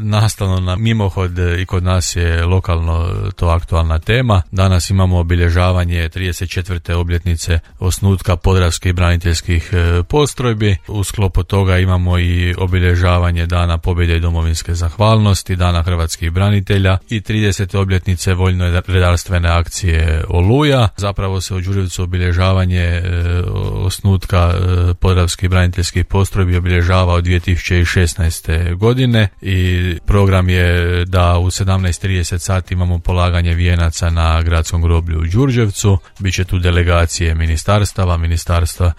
nastavno na mimohod i kod nas je lokalno to aktualna tema. Danas imamo obilježavanje 34. obljetnice osnutka Podravskih braniteljskih postrojbi. U sklopu toga imamo i obilježavanje Dana pobjede i domovinske zahvalnosti, Dana hrvatskih branitelja i 30. obljetnice vojno-redarstvene akcije Oluja. Zapravo se u Đurđevcu obilježavanje osnutka Podravskih braniteljskih postrojbi obilježava od 2016. godine i program je da u 17:30 sati imamo polaganje vijenaca na gradskom groblju u Đurđevcu. Biće tu delegacije ministarstva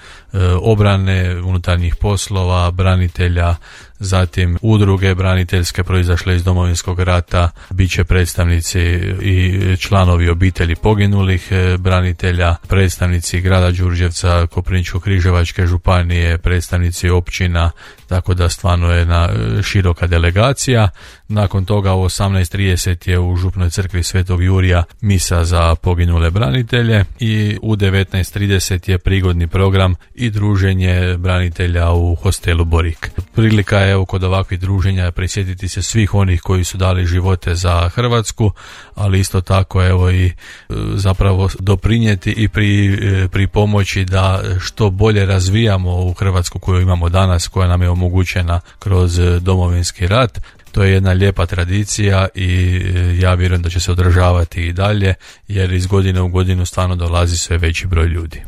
obrane, unutarnjih poslova, branitelja, zatim udruge braniteljske proizašle iz Domovinskog rata, bit će predstavnici i članovi obitelji poginulih branitelja, predstavnici grada Đurđevca, Koprivničko-križevačke županije, predstavnici općina, tako da stvarno je jedna široka delegacija. Nakon toga u 18:30 je u Župnoj crkvi Svetog Jurija misa za poginule branitelje i u 19:30 je prigodni program i druženje branitelja u hostelu Borik. Prilika je kod ovakvih druženja prisjetiti se svih onih koji su dali živote za Hrvatsku, ali isto tako i zapravo doprinijeti i pri pomoći da što bolje razvijamo u Hrvatsku koju imamo danas, koja nam je omogućena kroz Domovinski rat. To je jedna lijepa tradicija i ja vjerujem da će se održavati i dalje, jer iz godine u godinu stvarno dolazi sve veći broj ljudi.